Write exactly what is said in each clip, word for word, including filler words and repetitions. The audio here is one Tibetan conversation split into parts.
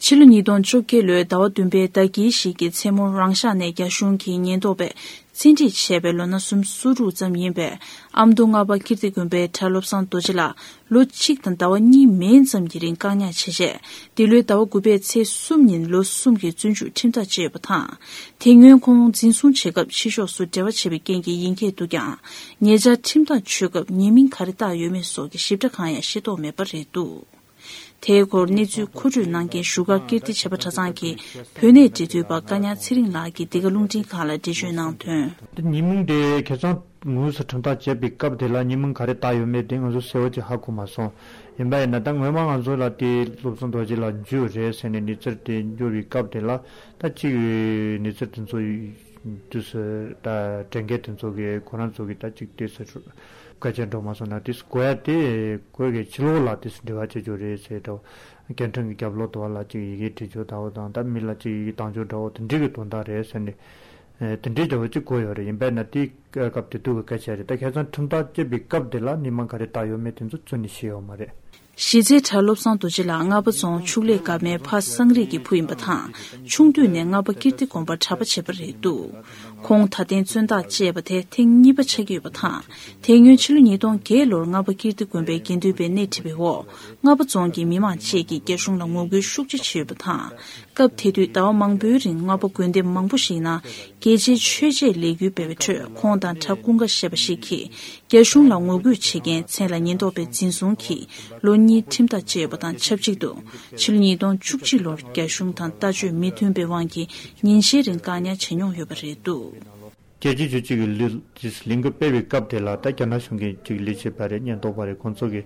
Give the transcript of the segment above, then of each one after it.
ཕྱི་ལོ་ཉིས་སྟོང་བཅོ་བརྒྱད་ལོའི་ཟླ་བ་བདུན་པའི་ཟླ་དཀྱིལ་ཞིག་གི་མཚན་མོར་རང་ཤག་ནས་རྒྱ་གཞུང་གིས་ཉེན་རྟོག་པས་བཙན་ཁྲིད་བྱས་པའི་ལོ་ན་སུམ་ཅུ་སོ་དྲུག་ཙམ་ཡིན་པའི་ཨ་མདོ་རྔ་པ་ཀིརྟི་དགོན་པའི་གྲྭ་བློ་བཟང་རྡོ་རྗེ་ལགས་ལོ་གཅིག་དང་ཟླ་བ་གཉིས་མན་ཙམ་གྱི་རིང་བཀག་ཉར་བྱས་རྗེས། འདི་ལོའི་ཟླ་བ་དགུ་པའི་ཚེས་གསུམ་ཉིན་ལོ་གསུམ་གྱི་བཙོན་འཇུག་ཁྲིམས་ཐག་བཅད་ཡོད་པ་དང་། དེ་སྔོན་ཁོང་འཛིན་བཟུང་བྱེད་སྐབས་ཕྱི་ཕྱོགས་སུ་འབྲེལ་བ་བྱས་པའི་རྐྱེན་གྱིས་ཡིན་སྐད་འདུག་ཀྱང་། ཉེ་ཆར་ཁྲིམས་ཐག་གཅོད་སྐབས་ཉེས་མིང་ག་རེ་བཏགས་ཡོད་མེད་སོགས་ཀྱི་ཞིབ་ཕྲ་གང་ཡང་ཤེས་རྟོགས་མེད་པ་རེད་འདུག་དེའི་སྐོར་གནས་ཚུལ་མཁོ་སྤྲོད་གནང་མཁན་བཞུགས་སྒར་ཀིརྟི་བྱེས་པ་གྲྭ་ཚང་གི་བོད་གནས་འབྲེལ་མཐུད་པ་བཀའ་ཉག་ཚེ་རིང་ལགས་ཀྱིས་འདི་ག་རླུང་འཕྲིན་ཁང་ལ་འགྲེལ་བརྗོད་གནང་དོན། ཉེས་མིང་དེ་ཁ་སང་དངོས་སུ་ཁྲིམས་ཐག་བཅད་པའི་སྐབས་དེ་ལ་ཉེས་མིང་ག་རེ་བཏགས་ཡོད་མེད་དེ་ང་ཚོ་གསལ་བོ་ཅིག་ཧ་གོ་མ་སོང་། ཡིན་པ་ཡིན་ན་ད་སྔོན་མ་ང་ཚོ་ལ་དེ་བློ་བཟང་རྡོ་རྗེ་ལགས་འཇུས་རེད་ཟེར་ནས་གནས་ཚུལ་དེ་འབྱོར་བའི་སྐབས་དེ་ལ་ད་གཅིག་གནས་ཚུལ་དེ་ཚོ་དུས་སུ་ད་དྲན་མཁན་དེ་ཚོ་གིས་ཁོ་རང་ཚོ་གིས་ད་གཅིག་དེ་སུ་སྐད་ཆ་འགྲོ་མ་སོང་ན་དེ་གོ་ཡ་དེ་གོ་གི་ཕྱི་ལོགས་ལ་དེ་འབྲེལ་བ་བྱེད་རྒྱུ་རེད་ཟེར་འགྲོ། སྐད་འཕྲིན་གྱི་རྒྱབ་ལོགས་དུ་ལ་ཅིག་ཡི་གེ་བྲིས་རྒྱུ་འདྲ་བོ་དང་ད་མི་ལ་ཅིག་ཡི་གེ་བཏང་རྒྱུ་འདྲ་བོ་དེ་འདྲའི་གི་དོན་དག་རེད་ཟེར་ནས་དེ་འདྲའི་འདྲ་བོ་ཅིག་གོ་ཡོད་རེད། ཡིན་པས་ན་དེའི་སྐབས་དེ་དུས་ཀྱི་སྐད་ཆ་རེད། ད་ཁ་སང་ཁྲིམས་ཐག་བཅད་པའི་སྐབས་དེ་ལ་ཉེས་མ་ག་རེ་བཏགས་ཡོད་མེད་དེ་ཚོ་རྩད་ནས་ཤེས་ཡོད་མ་རེད། གཞི་རྩའི་གྲྭ་བློ་བཟང་རྡོ་རྗེ་ལགས་རྔ་པ་རྫོང་ཕྱུགས་ལས་སྒར་མའི་ཕ་སངས་རིས་ཀྱི་བུ་ཡིན་པ་དང་། ཆུང་དུས་ནས་རྔ་པ་ཀིརྟི་དགོན་པར་གྲྭ་པ་བྱས་པ་རེད་འདུག་ཁོང་ད་ཐེངས་བཙོན་ཐག་བཅད་པ་དེ་ཐེངས་གཉིས་པ་ཆགས་ཀྱི་ཡོད་པ་དང་། དེ་སྔོན་ཕྱི་ལོ་ཉིས་སྟོང་བརྒྱད་ལོར་རྔ་པ་ཀིརྟི་དགོན་པའི་དགེ་འདུན་པས་སྣེ་ཁྲིད་པའི་འོག་རྔ་པ་རྫོང་གི་མི་མང་བཅས་ཀྱིས་རྒྱ་གཞུང་ལ་ངོ་རྒོལ་ཤུགས་ཆེ་བྱས་ཡོད་པ་དང་། སྐབས་དེ་དུས་ཟླ་བ་མང་པོའི་རིང་རྔ་པ་དགོན་སྡེ་མང་པོ་ཞིག་ནང་རྒྱལ་གཅེས་ཆོས་གཅེས་ལས་འགུལ་སྤེལ་བའི་ཁྲོད་ཁོང་དང་གྲྭ་ཀུན་དགའ་ཞེས་པ་ཞིག་གིས། རྒྱ་གཞུང་ལ་ངོ་རྒོལ་བྱེད་མཁན་མཚན་ལ་ཉེན་རྟོག་པས་འཛིན་བཟུང་གིས་ལོ་གཉིས་ཁྲིམས་ཐག་བཅད་ཡོད་པ་དང་ཆབས་ཅིག་ཏུ། ཕྱི་ལོ་ཉིས་སྟོང་བཅུ་གཅིག་ལོར་རྒྱ་གཞུང་དང་ལྟ་སྤྱོད་མི་མཐུན་པའི་དབང་གིས་ཉིན་ཤས་རིང་བཀག་ཉར་བྱས་མྱོང་ཡོད་པ་རེད་འདུག་རྒྱལ་སྤྱིའི་ཆོས་སྤྱི་གི་ལས་ལས་འགུལ་སྤེལ་བའི་སྐབས་དེ་ལ་ད་རྒྱ་ནག་གཞུང་གི་ཅིག་ལས་བྱེད་པ་རེད། ཉེན་རྟོག་པ་རེད། ཁོང་ཚོ་གིས་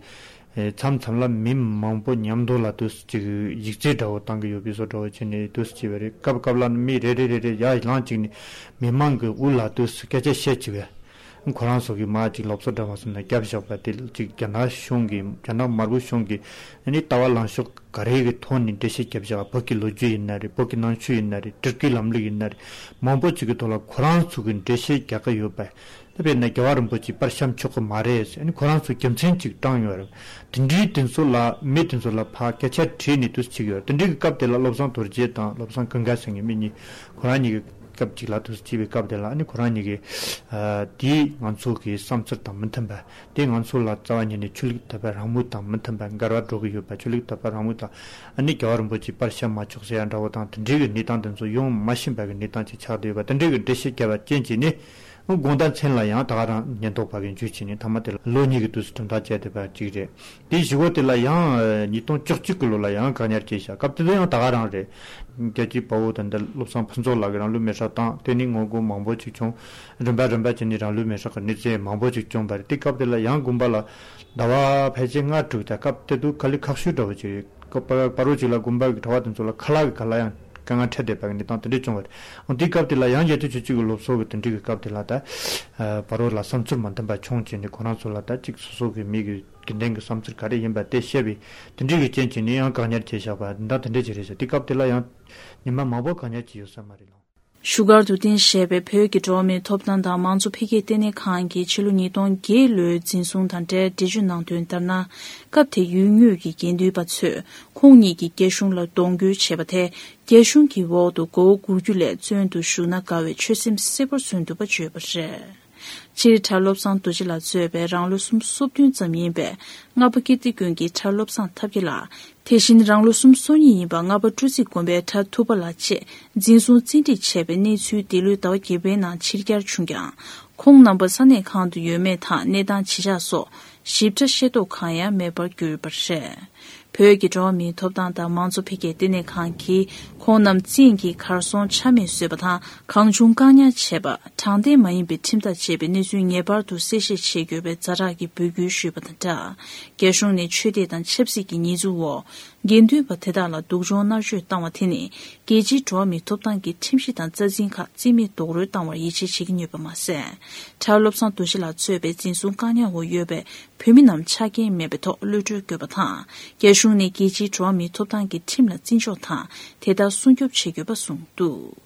མཚམས་མཚམས་ལ་མི་མང་པོ་མཉམ་དུ་ལ་དུས་ཅིག་ཡིག་ཚད་འདྲ་བོ་བཏང་གི་ཡོད་པའི་བཟོ་འདྲ་བོ་བྱས་ནས་དུས་བྱས་པ་རེད། སྐབས་སྐབས་ལ་མི་རེ་རེ་རེ་རེ་ཡར་ལངས་བཅུག་ནས་མི་མང་གི་དབུ་ལ་དུས་སྐད་ཆ་བཤད་བཅུག་པས། ཁོ་རང་ཚོ་གིས་མར་ཅིག་སློབ་གསོ་འདྲ་མ་སོང་ན་བརྒྱབ་བཞག་པ་དེ་ཅིག་རྒྱ་ནག་གཞུང་གིས་རྒྱ་ནག་དམར་པོ་གཞུང་གིས་ཨ་ནི་ལྟ་བ་ལངས་ཕྱོགས་ག་རེ་གི་ཐོག་ནས་འགྲེལ་བཤད་བརྒྱབ་བཞག་བོད་ཀྱི་ལོ་རྒྱུས་ཡིན་ན་རེད། བོད་ཀྱི་ནང་ཆོས་ཡིན་ན་རེད། སྤྲུལ་སྐུའི་ལམ་ལུགས་ཡིན་ན་རེད། མང་པོ་ཅིག་གི་ཐོག་ལ་ཁོ་རང་ཚོ་གིས་འགྲེལ་བཤད་རྒྱག་གི་ཡོད་པས། ད་དཔེར་ན་རྒྱལ་བ་རིན་པོ་ཆེ་པར་བཤམས་ཆོག་གི་མ་རེད་ཟེར་ཨ་ནི་ཁོ་རང་ཚོ་རྒྱུ་མཚན་ཅིག་བཏང་ཡོད་རེད། དེ་འདྲའི་དེ་ཚོ་ལ་མི་དེ་ཚོ་ལ་ཕར་སྐད་ཆ་དྲིས་ནས་དུས་ཅིག་ཡོད་རེད། དེ་འདྲའི་གི་སྐབས་དེ་ལ་བློ་བཟང་རྡོ་རྗེ་དང་བློ་བཟང་ཀུན་དགའ་ཟེར་མཁན་མི་གཉིས་ཁོ་རང་གཉིས་ཀྱི་སྐབས་གཅིག་ལ་དུས་སུ་བྱས་པའི་སྐབས་དེ་ལ་ཨ་ནི་ཁོ་རང་གཉིས་ཀྱིས་ཨ་དེས་ང་ཚོ་གི་བསམ་ཚུལ་དང་མི་མཐུན་པ། དེས་ང་ཚོ་ལ་རྩ་བ་ཉིད་ནས་ཆོས་ལུགས་དད་པ་རང་མོས་དང་མི་མཐུན་པ་འགལ་བ་འགྲོ་གི་ཡོད་པ། ཆོས་ལུགས་དད་པ་རང་མོས་དང་ཨ་ནི་རྒྱལ་བ་རིན་པོ་ཆེ་པར་བཤམས་མ་ཆོག་ཟེར་ཡ་འདྲ་བོ་དང་དེ་འདྲའི་གི་གནས་སྟངས་དེ་ཚོ་ཡོང་མ་ཤེས་པ་གི་གནས་སྟངས་ཅིག་ཆགས་བསྡད་ཡོད་པ། དེ་འདྲའི་གི་འགྲེལ་བཤད་བརྒྱབ་པ་རྐྱེན་གྱིས་ནི་དགོང་དག་མཚན་ལ་ཡང་ད་ག་རང་ཉེན་རྟོག་པ་གི་འཇུས་བྱས་ནས་མཐའ་མ་དེ་ལ་ལོ་གཉིས་ཀྱི་དུས་སུ་གྲུབ་མཐའ་བཅད་བསྡད་པ་ཅིག་རེད། དེའི་གཞུག་གུ་དེ་ལ་ཡང་ཉིས་སྟོང་བཅུ་གཅིག་གི་ལོ་ལ་ཡང་བཀག་ཉར་བྱས་ཤག་སྐབས་དེ་དུས་ཡང་ད་ག་རང་རེད། རྒྱལ་གཅེས་དཔའ་བོ་དང་འདི་བློ་བཟང་ཕུན་ཚོགས་ལགས་ཀྱིས་རང་ལུས་མེ་སྲེག་བཏང་། དེ་ནི་ངོ་རྒོལ་མང་པོ་ཅིག་བྱུང་། རིམ་པ་རིམ་པ་བྱས་ནས་རང་ལུས་མེ་སྲེག་གི་གནས་ཚུལ་མང་པོ་ཅིག་བྱུང་བ་རེད། དེ་སྐབས་དེ་ལ་ཡང་དགོན་པ་ལ་ཟླ་བ་ཕལ་ཆེར་ལྔ་དྲུག་དང་སྐབས་དེ་དུས་དཀའ་ལས་ཁག་ཤོས་འདྲ་བོ་ཅིག་རེད། སྐབས་བར་བར་རོ་ཅིག་ལ་དགོན་པ་གི་གྲྭ་པ་དེ་ཚོ་ལ་ཁ་ལག་གི་ཁ་ལག་ཡང་དཀའ་ངལ་འཕྲད་བསྡད་པ་གི་གནས་སྟངས་དེ་འདྲ་བྱུང་བ་རེད། འོ་དེའི་སྐབས་དེ་ལ་ཡང་རྒྱལ་གཅེས་ཆོས་གཅེས་ཀྱི་སློབ་གསོ་གི་དེ་འདྲའི་གི་སྐབས་དེ་ལ་ད་བར་རོ་ལ་བསམ་ཚུལ་མ་མཐུན་པ་བྱུང་བྱས་ནས་ཁོ་རང་ཚོ་ལ་ད་ཅིག་སོ་སོ་གི་མི་གི་དགེ་འདུན་གྱི་བསམ་ཚུལ་ག་རེ་ཡིན་པ་དེ་བཤད་པའི་དེ་འདྲའི་གི་རྐྱེན་གྱིས་ནི་ཡང་བཀག་ཉར་བྱས་བཞག་པ་འདི་འདྲ་དེ་འདྲ་ཅིག་རེད་ཤག་དེ་སྐབས་དེ་ལ་ཡང་ཉི་མ་མང་པོ་བཀག་ཉར་བྱས་ཡོད་ས་མ་རེད་ལགས། བཞུགས་སྒར་དུ་རྟེན་བཞེས་པའི་བོད་ཀྱི་འགྲོ་བ་མིའི་ཐོབ་ཐང་དང་མང་གཙོ་འཕེལ་རྒྱས་ལྟེ་གནས་ཁང་གིས་ཕྱི་ལོ་ཉིས་སྟོང་བརྒྱད་ལོའི་འཛིན་བཟུང་དང་འབྲེལ་འགྲེལ་བརྗོད་གནང་དོན་ལྟར་ན། སྐབས་དེ་ཡུལ་དངོས་ཀྱི་དགེ་འདུན་པ་ཚོས་ཁོང་ཉིད་ཀྱིས་རྒྱ་གཞུང་ལ་གདོང་སྐྱོན་བྱས་པ་དེ། རྒྱ་གཞུང་གི་འོག་ཏུ་མགོ་བོ་སྒུར་རྒྱུ་ལས་བཙོན་དུ་བཞུགས་ན་དགའ་བའི་ཆོད་སེམས་གསལ་པོར་མཚོན་ཐུབ་པ་བརྗོད་པ་རེད། སྤྱིར་གྲྭ་བློ་བཟང་རྡོ་རྗེ་ལགས་གཙོས་པའི་རང་ལོ་སུམ་ཅུ་སོ་བདུན་ཙམ་ཡིན་པའི་རྔ་པ་ཀིརྟི་དགོན་གྱི་གྲྭ་བློ་བཟང་ཐབས་མཁས་ལགས། དེ་བཞིན་རང་ལོ་སུམ་ཅུ་སོ་གཉིས་ཡིན་པ་རྔ་པ་སྤྲོ་ཚིགས་དགོན་པའི་གྲྭ་ཐུབ་པ་ལགས་བཅས་འཛིན་བཟུང་བཙན་ཁྲིད་བྱས་པའི་གནས་ཚུལ་འདི་ལོའི་ཟླ་བ་བརྒྱད་པའི་ནང་ཕྱིར་གྱར་བྱུང་ཀྱང་། ཁོང་རྣམ་པ་ས་གནས་གང་དུ་ཡོད་མེད་དང་གནས་སྟངས་ཇི་ཆགས་སོགས་ཞིབ་ཕྲ་ཤེས་རྟོགས་གང་ཡང་མེད་པར་གྱུར་ཡོད་པ་རེད། བོད་ཀྱི་འགྲོ་བ་མིའི་ཐོབ་ཐང་དང་མང་གཙོ་འཕེལ་རྒྱས་ལྟེ་གནས་ཁང་གིས་ཁོང་རྣམས་བཙན་གྱིས་གར་སོང་ཆ་མེད་བཟོས་པ་དང་། གང་བྱུང་བཀག་ཉར་བྱས་པ། དྲང་བདེན་མ་ཡིན་པའི་ཁྲིམས་ཐག་བཅད་པའི་གནས་ཚུལ་ངེས་པར་དུ་གསལ་བཤད་བྱེད་དགོས་པའི་ཛ་དྲག་གི་འབོད་སྐུལ་ཞུས་པ་དང་སྦྲགས། རྒྱ་གཞུང་ནས་ཆོས་དད་དང་ཆབ་སྲིད་ཀྱི་ཉེས་འཛུགས་འོག་དགེ་འདུན་པ་དེ་དག་ལ་སྡུག་སྦྱོང་མནར་གཅོད་བཏང་བ་དེ་ནི་རྒྱལ་སྤྱིའི་འགྲོ་བ་མིའི་ཐོབ་ཐང་གི་ཁྲིམས་གཞི་དང་རྩ་འཛིན་ཁག་རྩིས་མེད་རྡོག་རོལ་བཏང་བར་ཡིད་ཆེས་བྱེད་ཀྱི་ཡོད་པ་མ་ཟད། གྲྭ་བློ་བཟང་རྡོ་རྗེ་ལགས་གཙོས་པའི་འཛིན་བཟུང་བཀག་ཉར་འོག་ཡོད་པའི་བོད་མི་རྣམས་ཆ་རྐྱེན་མེད་པའི་ཐོག་གློད་གྲོལ་དགོས་པ་དང་། རྒྱ་གཞུང་ནས་རྒྱལ་སྤྱིའི་འགྲོ་བ་མིའི་ཐོབ་ཐང་གི་ཁྲིམས་ལ་བརྩི་འཇོག་དང་དེ་ལྟར་སྲུང་སྐྱོབ་བྱེད་དགོས་པ་གསུངས་འདུག